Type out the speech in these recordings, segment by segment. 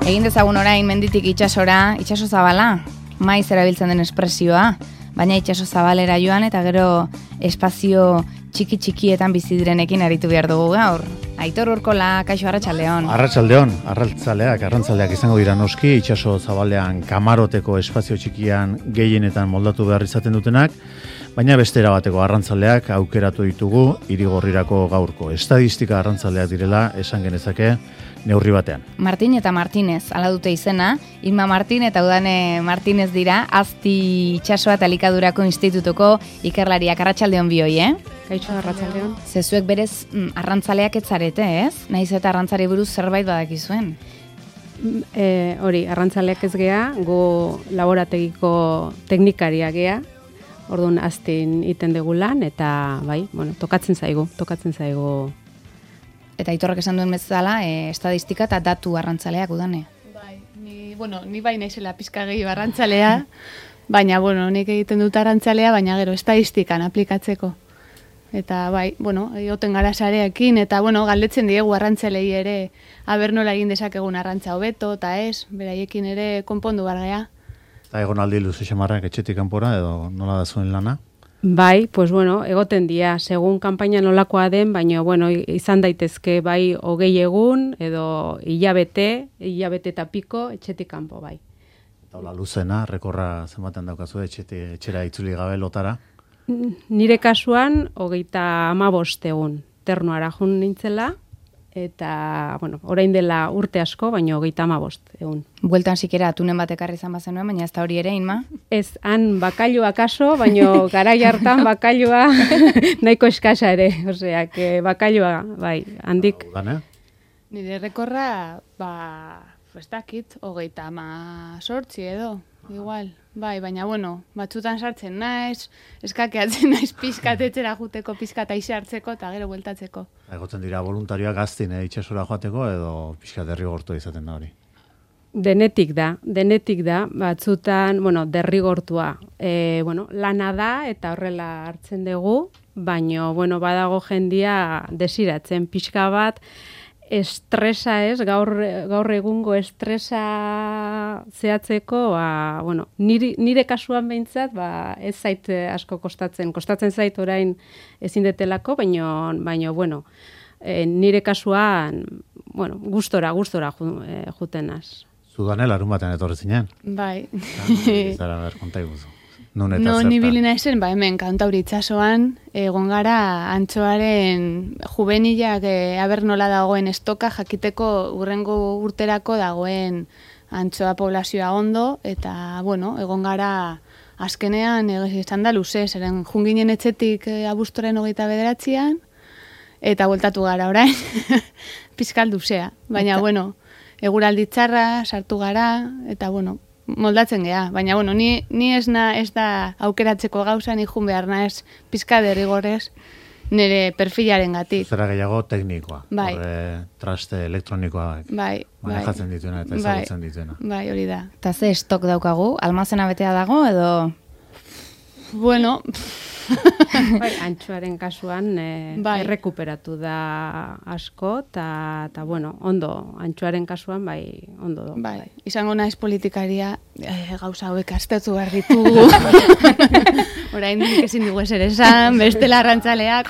Egin dezagun orain menditik itsasora, itsaso zabala, maiz erabiltzen den espresioa, baina itsaso zabalera joan eta gero espazio txiki-txikietan bizi direnekin aritu behar dugu gaur. Aitor Urkola, kaixo arratsaldeon. Arrantzaleak izango dira noski, itsaso zabalean kamaroteko espazio txikian gehienetan moldatu behar izaten dutenak, baina beste erabateko arrantzaleak aukeratu ditugu Irigorrirako gaurko. Estadistika arrantzaleak direla esan genezake neurri batean. Martin eta Martinez, ala dute izena, Inma Martin eta Udane Martinez dira, Azti itsasoa eta Elikadurako Institutuko ikerlariak. Arratsaldeon bioi, Kaixo arratsaldeon. Zezuek berez arrantzaleak ez zarete, ez? Naiz eta arrantzari buruz zerbait badakizuen. Hori, arrantzaleak ez gea, go laborategiko teknikaria gea. Orduan aztin iten dugu lan eta bai, tokatzen zaigu. Eta Aitorrak esan duen bezala, estadistika eta datu arrantzaleak Udane. Bai, ni bai naizela pizka gehiago arrantzalea, baina nik egiten dut arrantzalea, baina gero estadistikan aplikatzeko. Eta bai, egoten gara sareekin eta galdetzen diegu arrantzalei ere aber nola egin dezakegun arrantza hobeto eta ez, beraiekin ere konpondu bar gea. Eta egon aldi luze xamarrak etxetik kanpora edo nola da zuen lana? Bai, egoten dira, segun kanpaina nolakoa den, baina izan daitezke bai 20 egun edo hilabete eta piko etxetik kanpo bai. Eta hola luzena, rekorra zenbaten daukazu etxera itzuli gabe lotara? Nire kasuan 35 egun ternuara jun nintzela, eta, orain dela urte asko, baina 35 egun. Bueltan sikera atunen bat ekarri izan bazenuen, baina ez da hori ere, Inma? Ez, han bakailua kaso, baina garai hartan bakailua nahiko eskasa ere, osea, bakailua, bai, handik. Nire rekorra, ez dakit, 38 edo, igual. Bai, baina, batzutan sartzen naiz, eskakeatzen naiz pizkat etxera juteko, pizkat aize hartzeko eta gero bueltatzeko. Egotzen dira voluntarioak gaztin itxasora joateko edo pizkat derrigortu izaten da hori? Denetik da, batzutan, derrigortua. Lana da eta horrela hartzen dugu, baina, badago jendia desiratzen pixka bat, estresa ez, gaur egungo estresa zehatzeko, nire kasuan behintzat, ez zait asko kostatzen zait orain ezin detelako, baina nire kasuan, gustora juten az. Zudane larun batean etorri zinen? Bai. Zara ber, konta iguzu. Ni bilina esen, hemen Kantauri itsasoan egon gara antxoaren jubenilak aber nola dagoen estoka jakiteko urrengo urterako dagoen antxoa poblazioa ondo, eta egon gara azkenean izan da luze, zeren junginen etxetik abuztoren 29an, eta bueltatu gara orain, pizkal luzea, baina eguraldi txarra, sartu gara, eta moldatzen gea, baina ni ez da aukeratzeko gauza, ni jun behar naiz pizka derrigorrez nire perfilaren gatik. Zera gehiago teknikoa, bai. Traste elektronikoa manejatzen dituena eta ezagutzen dituena. Bai, hori da. Eta ze estok daukagu, almazena betea dago edo? Bai, antxoaren kasuan errekuperatu da asko, eta ondo, antxoaren kasuan ondo do. Bai, izango naiz politikaria, gauza hauek aztertu behar ditugu. Orain dik ezin dugu ezer esan, bestela arrantzaleak.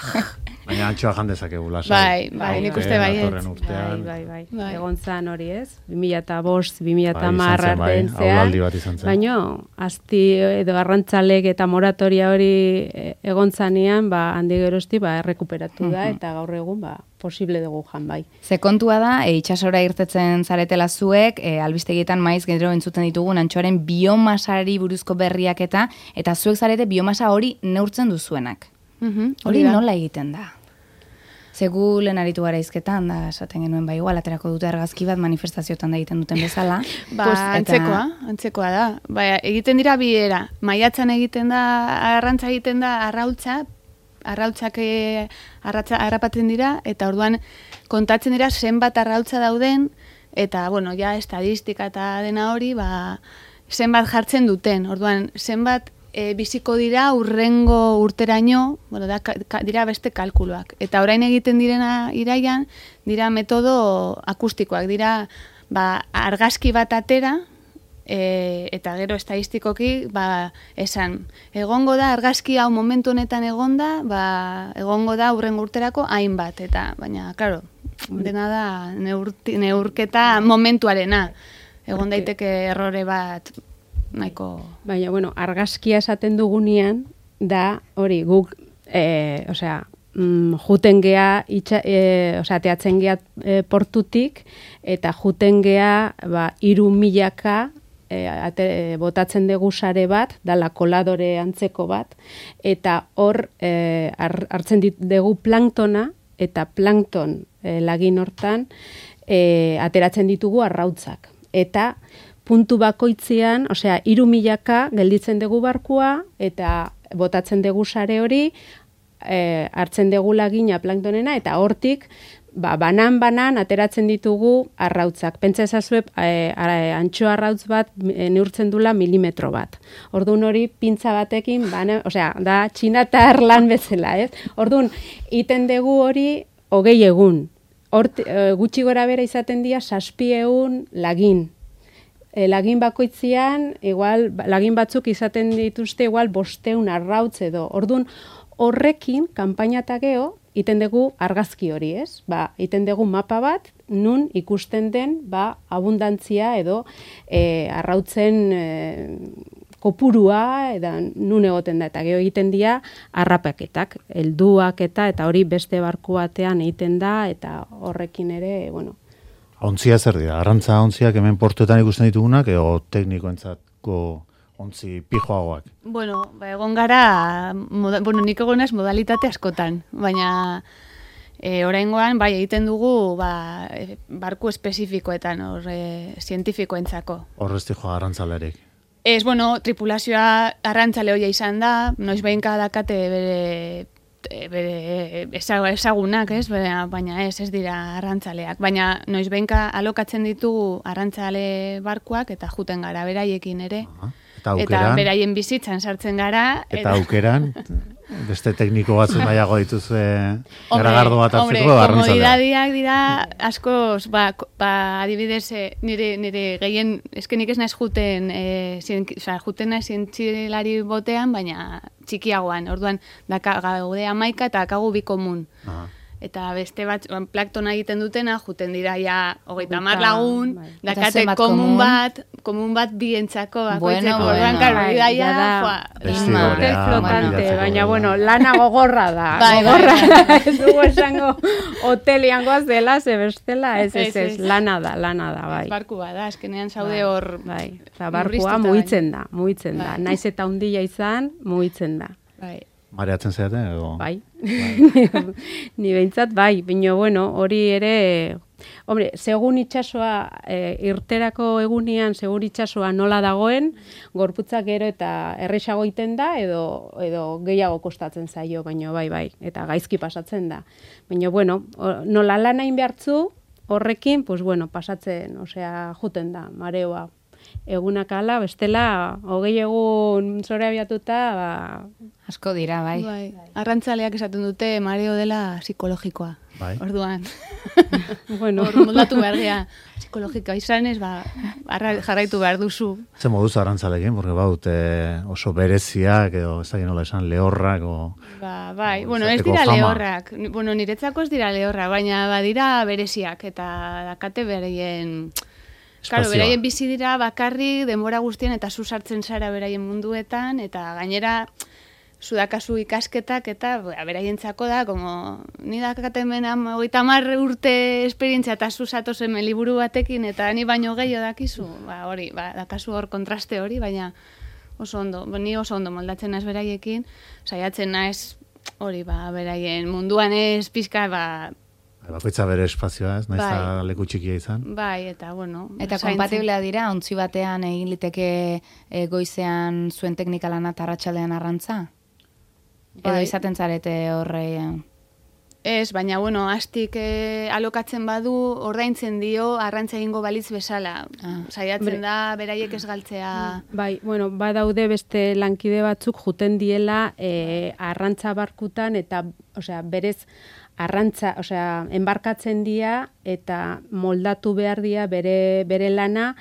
Baina antxoa jandezakegu lasai. Bai, nik uste baiet. Bai. Egon zan hori ez, 2005, 2010 artean zean. Baina, azti edo arrantzalek eta moratoria hori egon zanean, handi gerozti errekuperatu da, eta gaur egun posible dugu jan bai. Ze kontua da, itsasora irtetzen zaretela zuek, albistegietan maiz gero entzuten ditugun antxoaren biomasari buruzko berriak eta zuek zarete biomasa hori neurtzen duzuenak. Hori nola egiten da? Zegu lehen aritu gara izketan, da esaten genuen igual, aterako dute argazki bat manifestazioetan da egiten duten bezala. Antzekoa da. Egiten dira bi era. Maiatzan egiten da, arrantza egiten da arrautzak harrapatzen dira, eta orduan kontatzen dira zenbat arrautza dauden, eta, ja estadistika eta dena hori, zenbat jartzen duten. Orduan, zenbat biziko dira urrengo urteraino, dira beste kalkuluak. Eta orain egiten direna iraian, dira metodo akustikoak, dira argazki bat atera, eta gero estadistikoki esan, egongo da argazki hau momentu honetan egonda, egongo da hurrengo urterako hainbat, eta baina, claro, dena da neurketa momentuarena, egon daiteke errore bat nahiko... Baina, bueno, argazkia esaten dugunean da hori guk, juten gea, teatzen gea portutik, eta juten gea 3.000 botatzen dugu sare bat, dala koladore antzeko bat, eta hor hartzen dugu planktona, eta plankton lagin hortan ateratzen ditugu arrautzak. Eta puntu bakoitzean, 3.000 gelditzen dugu barkua, eta botatzen dugu sare hori, hartzen dugu lagina planktonena, eta hortik banan ateratzen ditugu arrautzak. Pentsa ezazue antxo arrautz bat neurtzen dula milimetro bat. Orduan hori pintza batekin, da txinatar lan bezala, ez? Orduan, iten dugu hori 20 egun. Gutxi gora bera izaten dira 700 lagin. Lagin bakoitzean, igual, lagin batzuk izaten dituzte igual 500 arrautz edo. Orduan, horrekin, kanpaina eta geho, iten dugu argazki hori, ez? Iten dugu mapa bat, nun ikusten den, abundantzia edo arrautzen kopurua, eta nun egoten da, eta geho egiten dira arrapaketak, helduak eta hori beste barku batean egiten da, eta horrekin ere, bueno. Ontzia zer dira? Arrantza ontziak hemen portuetan ikusten ditugunak, edo teknikoentzatko ontzi pijoagoak? Bueno, egon gara, nik egonaz modalitate askotan, baina oraingoan egiten dugu barku espezifikoetan, zientifikoentzako. Horrezti joa arrantzalerik? Ez, tripulazioa arrantzale hoia izan da, noiz behinka dakate bere ezagunak, ez? Baina ez dira arrantzaleak. Baina noiz behinka alokatzen ditugu arrantzale barkuak eta juten gara beraiekin ere. Eta beraien bizitzan sartzen gara. Eta aukeran, beste tekniko batzuk nahiago dituzue garagardo bat hartzeko arrantzaleak. Komodidadiak dira askoz, adibidez, nire gehien, eskenik ez naiz juten naiz zientzilari botean, baina txikiagoan. Orduan, gaude 11 eta akagu 2 komun. Eta beste bat, plaktona egiten dutena, juten dira ja 30 lagun, dakate komun bat bientzako, orduan, baina, lana gogorra da. Ez dugu esango hotelian goaz dela, ze bestela, ez, lana da, bai. Barku bada, eskenean zaude hor. Barkua mugitzen da. Naiz eta hundia izan, mugitzen da. Bai. Mareatzen zeate, edo? Bai. Ni behintzat, bai. Baina, hori ere... Hombre, segun itxasoa, irterako egunean, segun itxasoa nola dagoen, gorputzak gero eta erresago iten da, edo gehiago kostatzen zaio, baina bai, eta gaizki pasatzen da. Baina, nola lan hain behartzu, horrekin, pasatzen, juten da, mareoa. Egunak ala, bestela, 20 egun zore abiatuta, asko dira, bai. Arrantzaleak esaten dute mareo dela psikologikoa. Bai. Orduan. Hor moldatu behar gea. Psikologikoa izanez, jarraitu behar duzu. Ze moduz arrantzalekin, porque oso bereziak, edo ez dakit nola esan, lehorrak, bai, ez dira lehorrak. Niretzako ez dira lehorrak, baina badira bereziak, eta dakate bereien... Claro, beraien bizi dira bakarrik denbora guztien eta zu sartzen zara beraien munduetan, eta gainera zudakazu ikasketak eta beraientzako da, ni dakaten bena 30 urte esperientzia eta zu zatozen liburu batekin eta ni baino gehiago dakizu, dakazu hor kontraste hori, baina oso ondo, ni oso ondo moldatzen naiz beraiekin, saiatzen naiz hori, beraien munduan ez pizka, bakoitza bere espazioa, ez? Naiz da leku txikia izan. Bai, eta Eta kompatiblea dira, ontzi batean egin liteke goizean zuen teknika lana eta arratsaldean arrantza? Edo izaten zarete horrean? Ez, baina, astik alokatzen badu, ordaintzen dio, arrantza egingo balitz bezala. Saiatzen da, beraiek ez galtzea. Bai, badaude beste lankide batzuk juten diela arrantza barkutan, eta, berez, arrantza, osea, enbarkatzen dira eta moldatu behar dira bere lana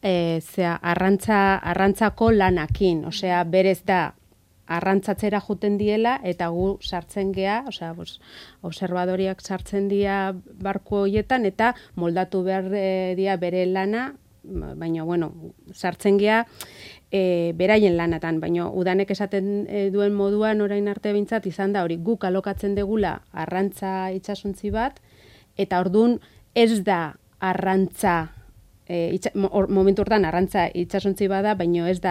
arrantzako lanakin, osea, berez da arrantzatzera juten diela eta gu sartzen gea, osea, observadoriak sartzen dira barku horietan eta moldatu behar dira bere lana, baina, bueno, sartzen gea beraien lanatan, baina udanek esaten duen moduan orain arte behintzat izan da hori guk alokatzen degula arrantza itsasontzi bat, eta ordun ez da arrantza, momentu hortan arrantza itsasontzi bada, baina ez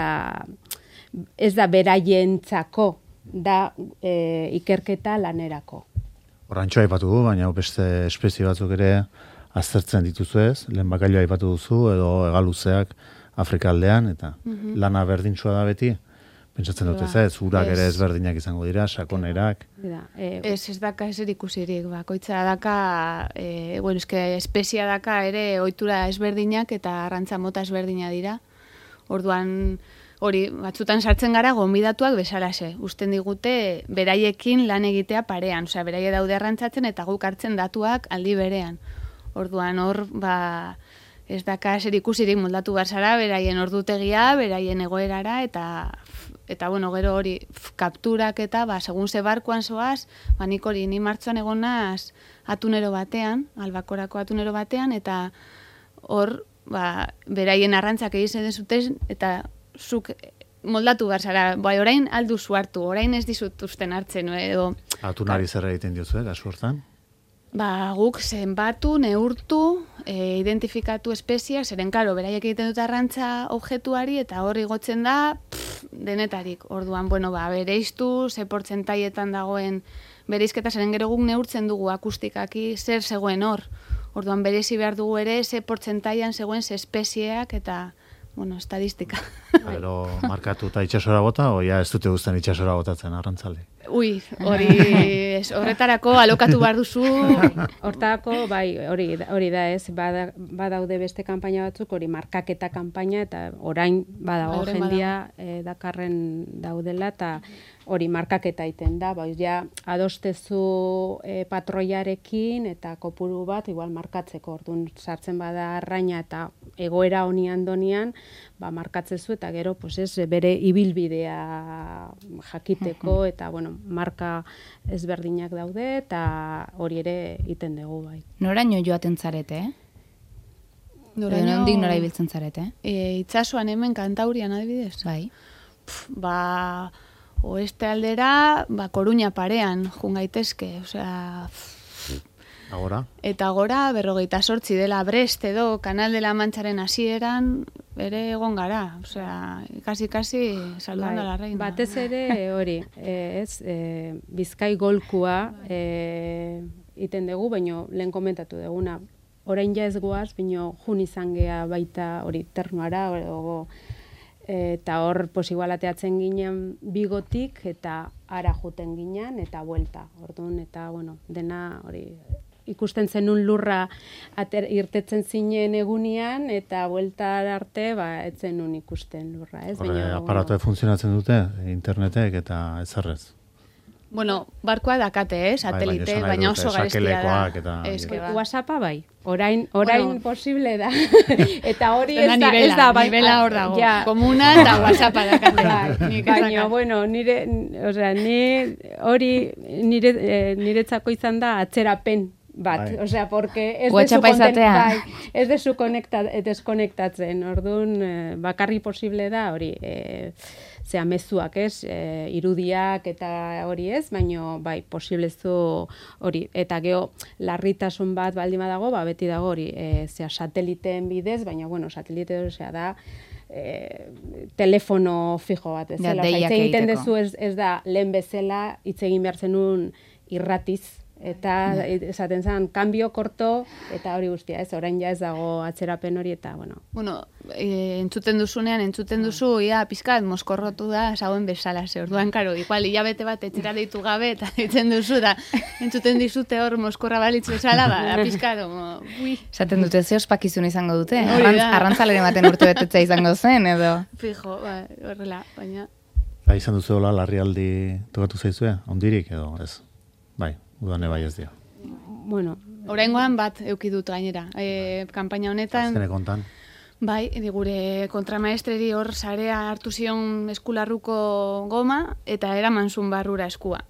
da beraientzako, da ikerketa lanerako. Horrantxoa aipatu du, baina beste espezie batzuk ere aztertzen dituzu ez, lehen bakailua aipatu duzu, edo hegaluzeak Afrika aldean, eta lana berdintsua da beti, pentsatzen dut ez, urak ere ezberdinak izango dira, sakonerak. Ez daka ezer ikusirik, bakoitza daka, espezia daka ere ohitura ezberdinak eta arrantza mota ezberdina dira. Orduan, hori, batzutan sartzen gara gonbidatuak bezalaxe. Usten digute beraiekin lan egitea parean, osea, beraie daude arrantzatzen eta guk hartzen datuak aldi berean. Orduan, hor, ez daka zer ikusirik moldatu behar zara, beraien ordutegia, beraien egoerara, eta bueno, gero hori kapturak eta, segun ze barkuan zoaz, nik hori, ni martxoan egon naz atunero batean, albakorako atunero batean, eta hor, beraien arrantzak egiten zuten, eta zuk moldatu behar zara, orain alduzu hartu, orain ez dizut usten hartzen, edo... Atunari zer egiten diozu, kasu hortan? Guk zenbatu, neurtu, identifikatu espeziak, zeren karo, beraiek egiten dut arrantza objektuari, eta hor igotzen da denetarik. Orduan, bereiztu, ze portzentaietan dagoen bereizketa, zeren gero guk neurtzen dugu akustikaki zer zegoen hor. Orduan, bereizi behar dugu ere, ze portzentaian zegoen ze espezieak, eta, estadistika. Gero, markatu eta itxasora bota, oia ez dute guztan itxasora botatzen arrantzale? Ui, horretarako alokatu behar duzu. Hortarako, hori da ez, badaude beste kanpaina batzuk, hori markaketa kanpaina, eta orain badago jendia dakarren daudela, eta hori markaketa iten da, ja adostezu patroiarekin, eta kopuru bat, igual markatzeko, orduan sartzen bada arraina eta egoera honian donian, markatzezu, eta gero, bere ibilbidea jakiteko, eta, marka ezberdinak daude, eta hori ere iten dugu, bai. Noraino joaten zarete, Nondik nora ibiltzen zarete? Itsasoan hemen Kantaurian adibidez? Bai. Oeste aldera, Koruña parean, jungaitezke, osea... Agora? Eta agora, 58 dela Brest edo, Kanal de la Mancharen hasieran, ere egon gara, osea, kasi saludando a la reina. Batez ere hori, Bizkai golkua iten dugu, baino lehen komentatu duguna, orain ja ez goaz, baino jun izan gea baita hori ternuara, eta hor igual ateatzen ginen Bigotik, eta ara juten ginen, eta buelta, orduan, eta dena hori... Ikusten zenun lurra irtetzen zinen egunian, eta buelta arte, etzen nun ikusten lurra, ez? Aparatoe funtzionatzen dute, internetek eta ezarrez? Barkoa dakate, satelite, baina oso garestia da. WhatsAppa bai, orain posible da. Eta hori ez da, nivela hor dago. Komuna eta WhatsAppa dakate. Baina, niretzako izan da atzerapen bat, osea, porque ez dezu deskonektatzen, orduan bakarri posible da hori, mezuak ez, irudiak eta hori ez, baino bai, posiblezu hori, eta geho larritasun bat baldima dago, beti dago hori, sateliteen bidez, baina, satelite da, telefono fijo bat, ez zela, egiten dezu ez da, lehen bezala, hitz egin behar zenun irratiz, eta esaten zen, cambio korto, eta hori guztia, ez, orain ja ez dago atzerapen hori, eta, entzuten duzu, pizkat, moskorrotu da, zauen bezala, orduan, karo, igual, hilabete bat etxera deitu gabe, eta ditzen duzu, da, entzuten dizute hor moskorra balitz bezala, da, pizkat, Zaten dute, ze ospakizun izango dute? Arrantzaleren baten urte betetza izango zen, edo? Fijo, horrela, baina... Izan duzu hola, larrialdi tokatu zaizue, ondirik, edo, ez? Bai. udane bai ez dio. Bueno, oraingoan bat eduki dut gainera. Kanpaina honetan... Azkene kontan. Bai, gure kontramaestreri hor sarea hartu zion eskularruko goma, eta eraman zuen barrura eskua.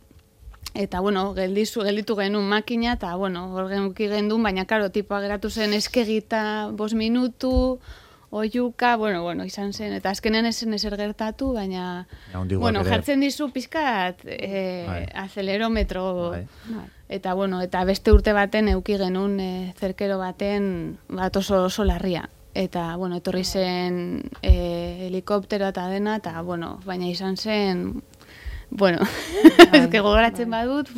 Eta, bueno, gelditu genuen makina, eta, bueno, hor genuki gendun, baina, karo, tipoa geratu zen eskegita 5 minutu, oiuka, bueno, izan zen, eta azkenean esen ezer gertatu, baina, bueno, jartzen dizu pizkat acelerometro, eta, bueno, eta beste urte baten euki genuen zerkero baten bat oso larria. Eta, bueno, etorri zen helikoptero eta dena, eta, bueno, baina izan zen, bueno, ezke gogoratzen badut,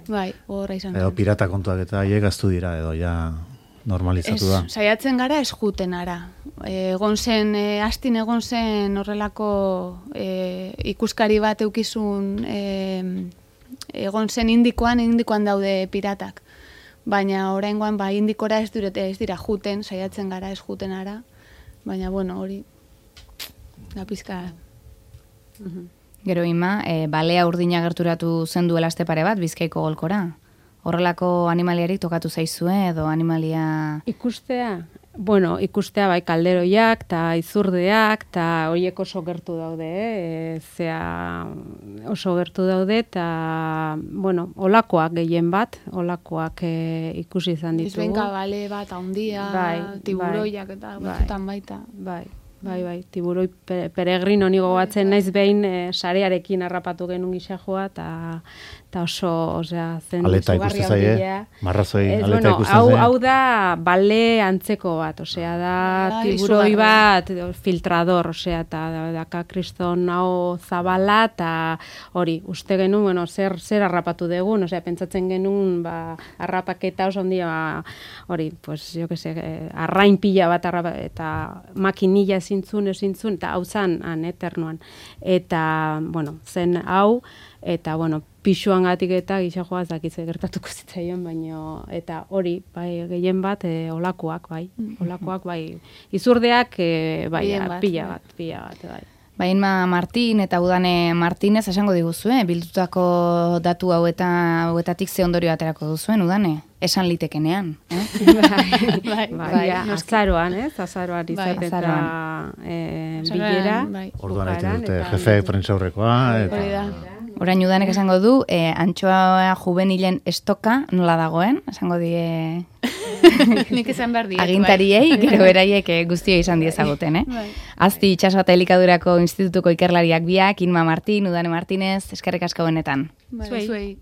bai, gogorra izan zen. Edo pirata kontuak eta haiek gaztu dira, edo ja normalizatu da. Saiatzen gara ez juten ara. Egon zen, astin egon zen horrelako ikuskari bat eukizun, egon zen indikoan daude piratak. Baina oraingoan indikora ez dira juten, saiatzen gara ez juten ara, baina bueno, hori da pizka. Gero Ima, balea urdina gerturatu zen duela aste pare bat Bizkaiko golkora. Horrelako animaliarik tokatu zaizue edo animalia... Ikustea? Bueno, ikustea bai kalderoiak eta izurdeak eta horiek oso gertu daude, oso gertu daude eta, bueno, olakoak gehien bat, olakoak ikusi izan ditugu. Izbenka bale bat, haundia, tiburoiak eta batzutan baita. Bai, tiburoi peregrino nigo batzen naiz behin sarearekin harrapatu genuen gisajoa eta oso, osea, zen aleta ikusten zaie, marrazoi aleta ikusten zaie. Hau da bale antzeko bat, osea, da tiburoi bat filtrador, osea, eta daka kriston hau zabala, eta hori, uste genuen, bueno, zer harrapatu dugun, osea, pentsatzen genuen, harrapaketa oso ondia, hori, pues, jo que se, arrain pila bat eta makinilla ezintzun, eta hau zan, eternuan. Eta, bueno, zen hau, eta, bueno, pixuan gatik eta gisajoa ez dakitze gertatuko zitzaion, baina, eta hori, bai, gehien bat, olakoak, bai, izurdeak, bai, pila bat, bai. Ba, Inma Martin eta Udane Martinez esango diguzue, bildutako datu hauetatik ze ondorio aterako duzuen, Udane? Esan litekenean, Bai, azaroan, azaroan izate eta bilera. Orduan egiten dute jefe prentsaurrekoa. Orain Udanek esango du, antxoa juvenilen estoka nola dagoen, esango die... Nik esan behar diet. Agintariei, gero beraiek guztia izan diezaguten, Azti itxaso eta elikadurako institutuko ikerlariak biak, Inma Martin, Udane Martinez, eskerrik asko benetan. Zuei.